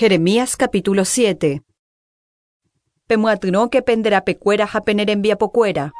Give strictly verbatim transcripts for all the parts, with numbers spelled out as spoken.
Jeremías capítulo siete. Pemyatyrõke penderapekuéra ha penerembiapokuéra.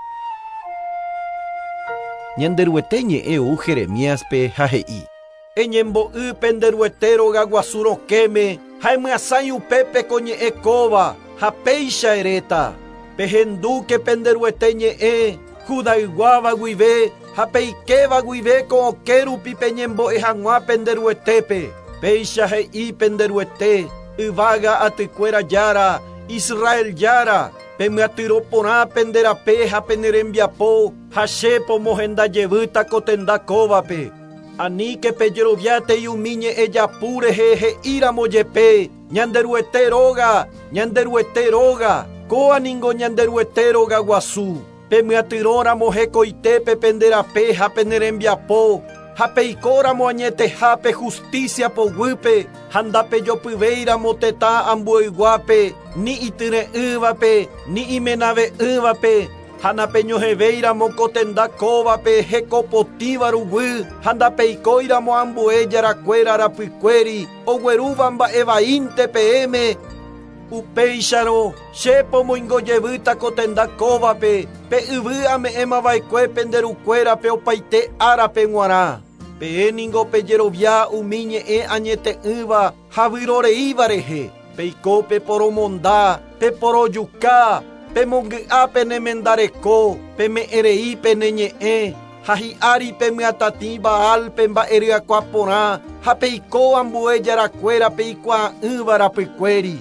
Ñanderuete ñe'ẽ ou Jeremíaspe ha he'i: Eñembo'y penderuete rogaguasu rokẽme ha emyasãi upépe ko ñe'ẽ kóva ha péicha eréta. Pehendúke penderuete ñe'ẽ Judayguáva guive ha peikéva guive ko okẽ rupi peñembo'e hag̃ua penderuetépe. Péicha he'i penderuete yvága atykuéra jára Israel jára pemyatyrõ porã penderape ha penerembiapo ha che pomohendajevýta ko tenda kóvape. Aníke pejeroviátei umi ñe'ẽ japu rehe he'íramo jepe Ñanderuete róga, Ñanderuete róga, kóa ningo Ñanderuete róga guasu. Pemyatyrõramo hekoitépe penderape ha penerembiapo ha peikóramo añetehápe justicia poguýpe ha ndapejopyvéiramo tetã ambueyguápe ni ityre'ỹvape ni imenave'ỹvape ha napeñohevéiramo ko tenda kóvape hekopotĩva ruguy ha ndapeikóiramo ambue jarakuéra rapykuéri oguerúva mba'evaínte peẽme. Upéicharõ che pomoingojevýta ko tenda kóvape pe yvy ame'ẽmava'ekue penderukuérape opaite árape g̃uarã. Peẽ ningo pejerovia umi ñe'ẽ añete'ỹva ha vyroreíva rehe. Peiko peporomonda, peporojuka, pemongy'a penemendareko, peme'ẽrei pene ñe'ẽ ha hi'ári pemyatatĩ Baal pemba'eryakuã porã ha peiko ambue jarakuéra peikuaa'ỹva rapykuéri.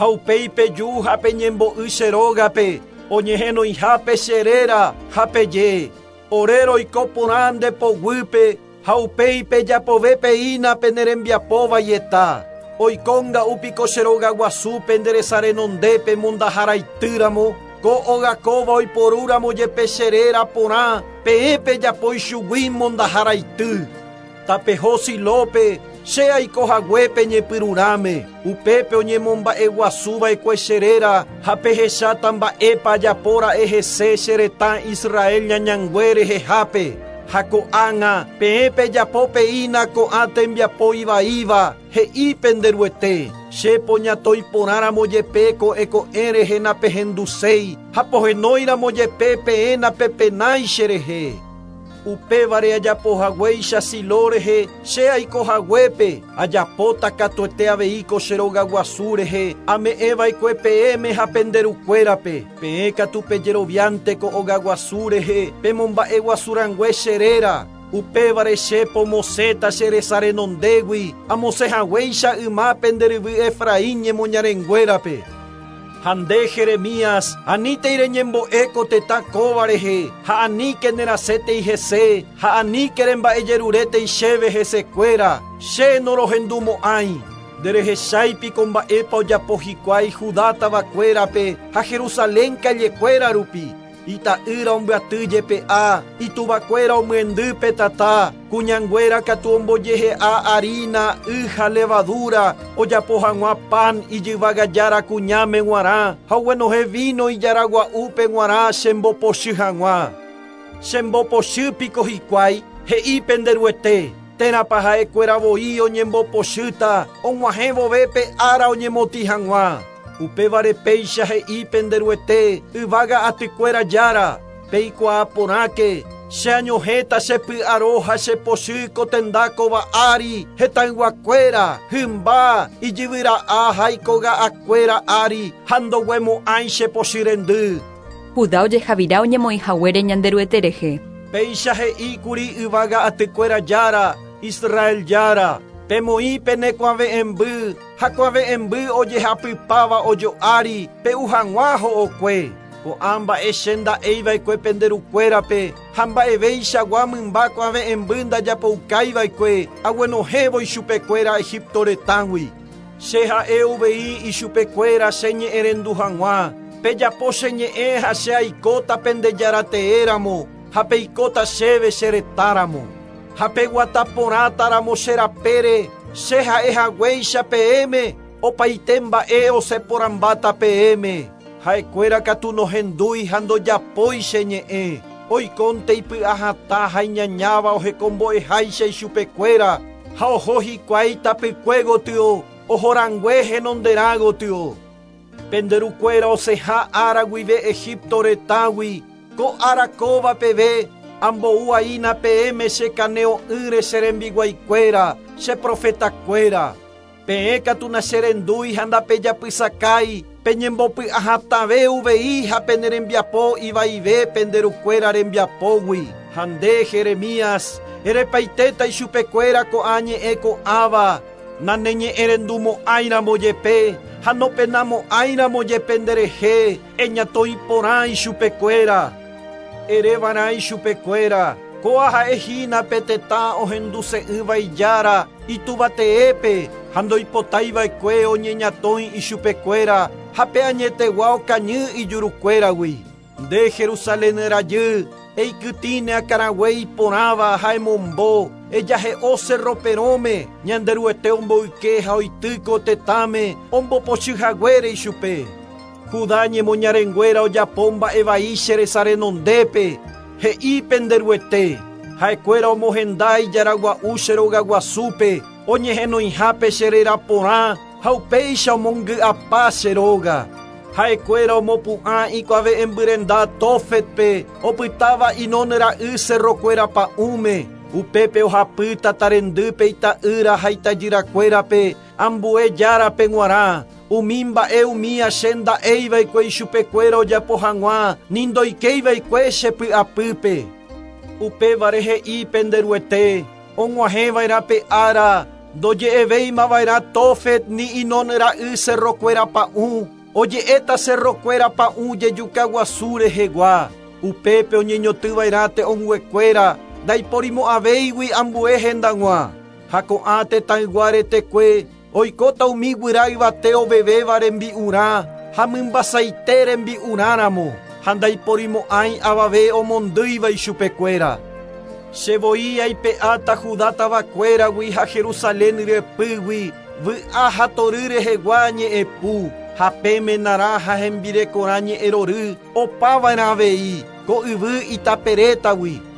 Ha upéi peju ha peñembo'y che rógape oñehenoihápe che réra ha peje ore roiko porã nde poguýpe ha upéi pejapove peína penerembiapovaieta. Oikónga'úpiko che rogaguasu penderesarenondépe mondaharaitýramo ko óga kóva oiporúramo jepe che réra porã peẽ pejapói chugui mondaharaity. Tapeho Silópe che aiko haguépe ñepyrũrãme upépe oñemomba'eguasuva'ekue che réra ha pehecháta mba'épa ajapóra'e hese che retã Israel ñañangue rehehápe. Ha ko'ág̃a peẽ pejapo peína ko'ã tembiapo ivaíva he'i penderuete. Che poñatõi porãramo jepe ko'ẽ ko'ẽ rehe napehenduséi ha pohenóiramo jepe peẽ napepenái cherehe. Upévare ajapo haguéicha Silo rehe che aiko haguépe ajapóta katuete avei ko che rogaguasu rehe ame'ẽva'ekue peẽme ha penderukuérape. Peẽ katu pejeroviánte ko ogaguasu rehe pemomba'eguasurãngue che réra. Upévare che pomosẽta che resa renondégui amosẽ haguéicha yma penderyvy Efraín ñemoñarenguérape. Ha nde Jeremías, anítei reñembo'e ko tetã kóva rehe, ha aníke nerasẽtei hese, ha aníke remba'ejerurétei chéve hesekuéra, che norohendumo'ãi. Nderehecháipiko mba'épa ojapo hikuái Judá tavakuérape ha Jerusalén kallekuéra rupi. Ita'ýra ombyaty jepe'a, ituvakuéra omyendy pe tata, kuñanguéra katu ombojehe'a harina, y ha levadura, ojapo hag̃ua pan ijyvagajára kuñáme g̃uarã ha oguenohẽ vino ijaragua'úpe g̃uarã chembopochy hag̃ua. Chembopochýpiko hikuái, he'i penderuete, térãpa ha'ekuéra voi oñembopochýta og̃uahẽ vove pe ára oñemotĩ hag̃ua. Upévare péicha he'i penderuete yvága atykuéra jára, peikuaa porãke, che añohẽta che py'aro ha che pochy ko tenda kóva ári hetãyguakuéra, hymba, ijyvyra'a ha ikoga'akuéra ári ha ndoguemo'ãi che pochy rendy. Judá ojehavira oñemoĩ haguére Ñanderuete rehe. Péicha he'íkuri yvága atykuéra jára, Israel jára, pemoĩ penekuave'ẽmby ha kuave'ẽmby ojehapypáva ojo'ári pe'u hag̃ua ho'okue. Ko'ã mba'e che nda'eiva'ekue penderukuérape ha mba'evéichagua mymba kuave'ẽmby ndajapoukáiva'ekue aguenohẽvo ichupekuéra Egipto retãgui. Che ha'e uvei ichupekuéra che ñe'ẽrendu hag̃ua. Pejapo che ñe'ẽ ha che aikóta pendejarateéramo ha peikóta chéve che retãramo. Ha peguata porãtaramo che rapére che ha'e haguéicha peẽme opaite mba'e osẽporãmbáta peẽme. Ha'ekuéra katu nohendúi ha ndojapói che ñe'ẽ. Oikónte ipy'ahatã ha iñañáva ohekombo'eháicha ichupekuéra ha oho hikuái tapykue gotyo Ohorangue henonderã gotyo. Penderukuéra osẽha ára guive Egipto retãgui, ko ára kóva peve, ambou'aína peẽme chekane'õ'ỹre che rembiguaikuéra, che profetakuéra. Peẽ katu nacherendúi ha ndapejapysakái, peñembopy'ahatãve uvei ha pene rembiapo ivaive penderukuéra rembiapógui. Ha nde Jeremías, erepaitéta ichupekuéra ko'ã ñe'ẽ ko'ãva, naneñe'ẽrendumo'ãiramo jepe, ha nopenamo'ãiramo jepe nderehe, eñatoĩporã ichupekuéra. Erevarã ichupekuéra, kóa ha'ehína pe tetã ohenduse'ỹva ijára, ituvateépe, ha ndoipotaiva'ekue oñeñatõi ichupekuéra, ha pe añetegua okañy ijurukuéragui. Nde Jerusalén rajy, eikytĩne akãrague iporãva ha emombo, ejahe'o cerro perõme, Ñanderuete omboyke ha oity ko tetãme, ombopochyhaguére ichupe. Judá ñemoñarenguéra ojapo mba'evai che resa renondépe, he'i penderuete, ha'ekuéra omohenda ijaragua'u che rogaguasúpe, oñehenoihápe che réra porã, ha upéicha omongy'apa che róga. Ha'ekuéra omopu'ã ikuave'ẽmbyrenda Tófetpe, opytáva Hinón ra'y cerrokuéra pa'ũme, upépe ohapy tatarendýpe ita'ýra ha itajyrakuérape, ambue járape g̃uarã, umi mba'e umía che nda'eiva'ekue ichupekuéra ojapo hag̃ua, ni ndoikeiva'ekue che py'apýpe. Upévare he'i penderuete, og̃uahẽva'erã pe ára, ndoje'evéimava'erã Tófet ni Hinón ra'y cerrokuéra pa'ũ, oje'éta cerrokuéra pa'ũ jejukaguasu rehegua. Upépe oñeñotỹva'erã te'õnguekuéra, ndaiporimo'ãvéigui ambue hendag̃ua. Ha ko'ã tetãygua retekue, oikóta umi guyra yvate ovevéva rembi'urã, ha mymbasaite rembi'urãramo, ha ndaiporimo'ãi avave omondýiva ichupekuéra. Che voi aipe'áta Judá tavakuéragui ha Jerusalén ryepýgui, vy'a ha tory rehegua ñe'ẽpu, ha pemenarã ha hembirekorã ñe'ẽrory, opava'erã avei, ko yvy itaperétagui.